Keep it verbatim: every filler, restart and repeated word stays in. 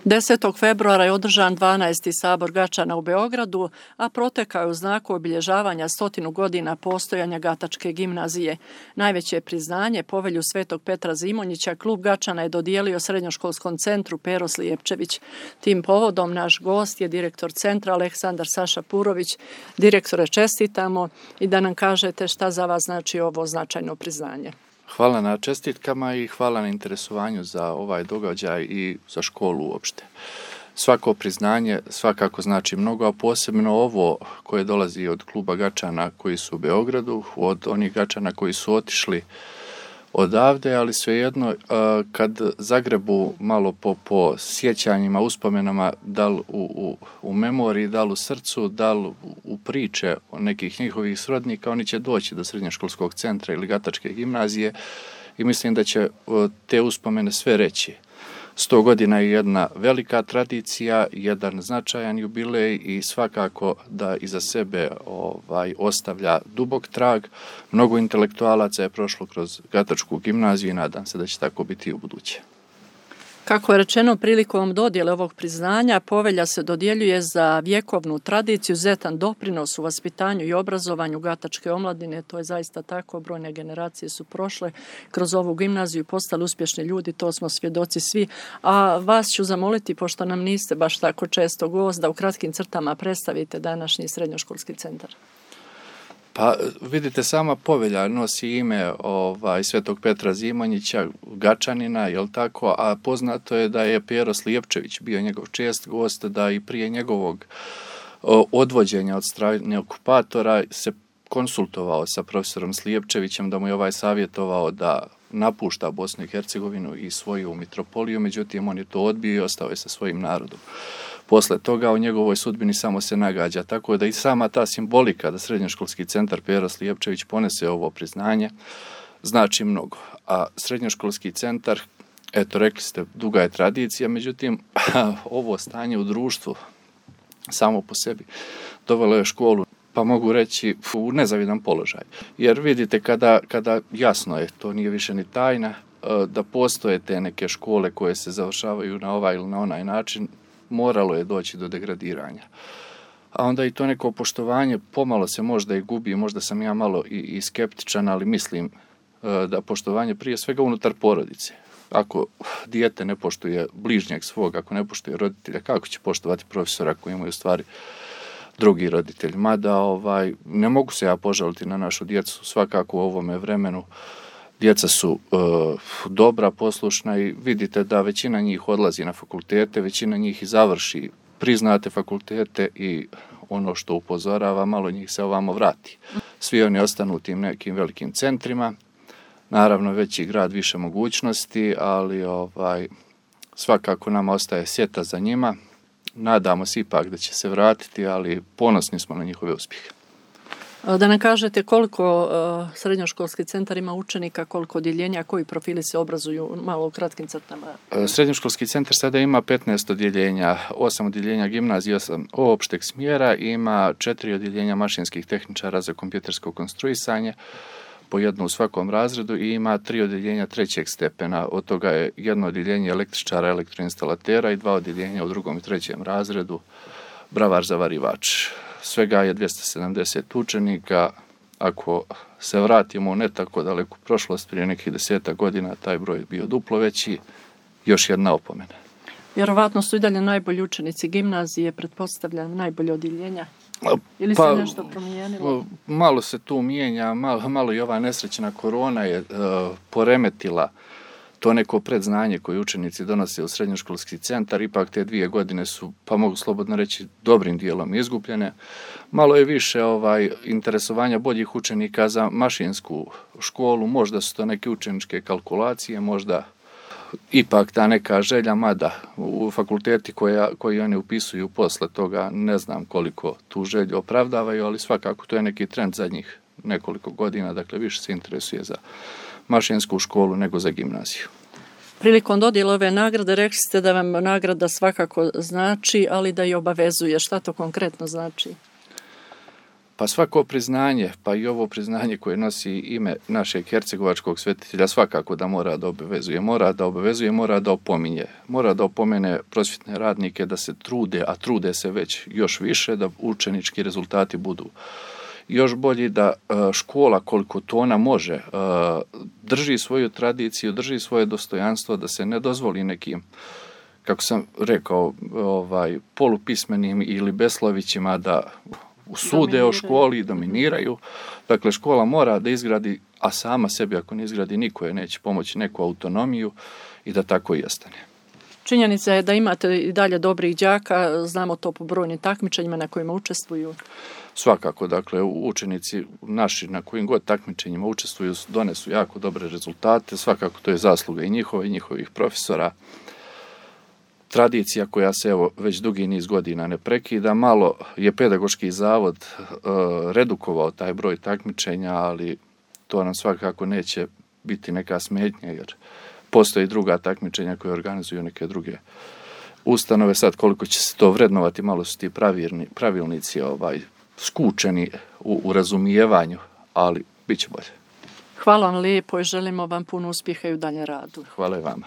desetog februara je održan dvanaesti sabor Gačana u Beogradu, a protekao je u znaku obilježavanja stotinu godina postojanja Gatačke gimnazije. Najveće priznanje, povelju Svetog Petra Zimonjića, klub Gačana je dodijelio srednjoškolskom centru Pero Slijepčević. Tim povodom naš gost je direktor centra Aleksandar Saša Purović. Direktore, čestitamo i da nam kažete šta za vas znači ovo značajno priznanje. Hvala na čestitkama i hvala na interesovanju za ovaj događaj i za školu uopšte. Svako priznanje svakako znači mnogo, a posebno ovo koje dolazi od kluba Gačana koji su u Beogradu, od onih Gačana koji su otišli odavde, ali svejedno kad zagrebu malo po, po sjećanjima, uspomenama, da li u, u, u memoriji, da li u srcu, da li u priče nekih njihovih srodnika, oni će doći do srednjoškolskog centra ili Gatačke gimnazije i mislim da će te uspomene sve reći. Sto godina je jedna velika tradicija, jedan značajan jubilej i svakako da iza sebe ovaj, ostavlja dubok trag. Mnogo intelektualaca je prošlo kroz Gatačku gimnaziju i nadam se da će tako biti i u buduće. Kako je rečeno prilikom dodjele ovog priznanja, povelja se dodjeljuje za vjekovnu tradiciju, izuzetan doprinos u vaspitanju i obrazovanju Gatačke omladine. To je zaista tako, brojne generacije su prošle kroz ovu gimnaziju, postali uspješni ljudi, to smo svjedoci svi. A vas ću zamoliti, pošto nam niste baš tako često gost, da u kratkim crtama predstavite današnji srednjoškolski centar. Pa vidite, sama povelja nosi ime ovaj, Svetog Petra Zimonjića, Gačanina, jel tako, a poznato je da je Pero Slijepčević bio njegov čest gost, da i prije njegovog o, odvođenja od strane okupatora se konsultovao sa profesorom Slijepčevićem, da mu je ovaj savjetovao da napušta Bosnu i Hercegovinu i svoju mitropoliju, međutim on je to odbio i ostao je sa svojim narodom. Posle toga o njegovoj sudbini samo se nagađa, tako da i sama ta simbolika da srednjoškolski centar Pero Slijepčević ponese ovo priznanje znači mnogo. A srednjoškolski centar, eto rekli ste, duga je tradicija, međutim ovo stanje u društvu samo po sebi dovelo je školu, pa mogu reći, u nezavidan položaj. Jer vidite, kada, kada jasno je, to nije više ni tajna, da postoje te neke škole koje se završavaju na ovaj ili na onaj način, moralo je doći do degradiranja. A onda i to neko poštovanje pomalo se možda i gubi, možda sam ja malo i, i skeptičan, ali mislim da poštovanje prije svega unutar porodice. Ako dijete ne poštuje bližnjeg svog, ako ne poštuje roditelja, kako će poštovati profesora koji imaju stvari drugi roditelj? Mada ovaj, ne mogu se ja požaliti na našu djecu, svakako u ovome vremenu. Djeca su e, dobra, poslušna i vidite da većina njih odlazi na fakultete, većina njih i završi priznate fakultete i ono što upozorava, malo njih se ovamo vrati. Svi oni ostanu u tim nekim velikim centrima, naravno veći grad, više mogućnosti, ali ovaj, svakako nama ostaje sjeta za njima. Nadamo se ipak da će se vratiti, ali ponosni smo na njihove uspjehe. Da nam kažete koliko uh, srednjoškolski centar ima učenika, koliko odjeljenja, koji profili se obrazuju, malo u kratkim crtama? Srednjoškolski centar sada ima petnaest odjeljenja, osam odjeljenja gimnazije, osam opšteg smjera, ima četiri odjeljenja mašinskih tehničara za kompjutersko konstruisanje, po jedno u svakom razredu, i ima tri odjeljenja trećeg stepena, od toga je jedno odjeljenje električara, elektroinstalatera i dva odjeljenja u drugom i trećem razredu, bravar zavarivač. Svega je dvjesto sedamdeset učenika. Ako se vratimo u ne tako daleku prošlost, prije nekih desetak godina, taj broj je bio duplo veći. Još jedna opomena. Vjerovatno su i dalje najbolji učenici gimnazije, pretpostavljam najbolje odjeljenja. Ili pa, se nešto promijenilo? Malo se tu mijenja, malo, malo i ova nesrećna korona je uh, poremetila to neko predznanje koje učenici donose u srednjoškolski centar. Ipak te dvije godine su, pa mogu slobodno reći, dobrim dijelom izgubljene. Malo je više ovaj interesovanja boljih učenika za mašinsku školu, možda su to neke učeničke kalkulacije, možda ipak ta neka želja, mada u fakulteti koja, koji oni upisuju posle toga, ne znam koliko tu želju opravdavaju, ali svakako to je neki trend zadnjih nekoliko godina, dakle više se interesuje za mašinsku školu nego za gimnaziju. Prilikom dodjele ove nagrade rekli ste da vam nagrada svakako znači, ali da i obavezuje. Šta to konkretno znači? Pa svako priznanje, pa i ovo priznanje koje nosi ime našeg hercegovačkog svetitelja svakako da mora da obavezuje, mora da obavezuje, mora da opominje, mora da opomene prosvjetne radnike da se trude, a trude se već još više, da učenički rezultati budu još bolji, da škola koliko to ona može drži svoju tradiciju, drži svoje dostojanstvo, da se ne dozvoli nekim, kako sam rekao, ovaj, polupismenim ili beslovićima da sude o školi, dominiraju. Dakle, škola mora da izgradi, a sama sebi ako ne izgradi, niko je neće pomoći, neku autonomiju i da tako i ostane. Činjenica je da imate i dalje dobrih đaka, znamo to po brojnim takmičenjima na kojima učestvuju. Svakako, dakle, učenici naši na kojim god takmičenjima učestvuju donesu jako dobre rezultate, svakako to je zasluga i njihova i njihovih profesora. Tradicija koja se evo već dugi niz godina ne prekida, malo je pedagoški zavod e, redukovao taj broj takmičenja, ali to nam svakako neće biti neka smetnja jer postoji druga takmičenja koje organizuju neke druge ustanove. Sad koliko će se to vrednovati, malo su ti pravilni, pravilnici ovaj, skučeni u, u razumijevanju, ali bit će bolje. Hvala vam lijepo i želimo vam puno uspjeha i u daljem radu. Hvala i vama.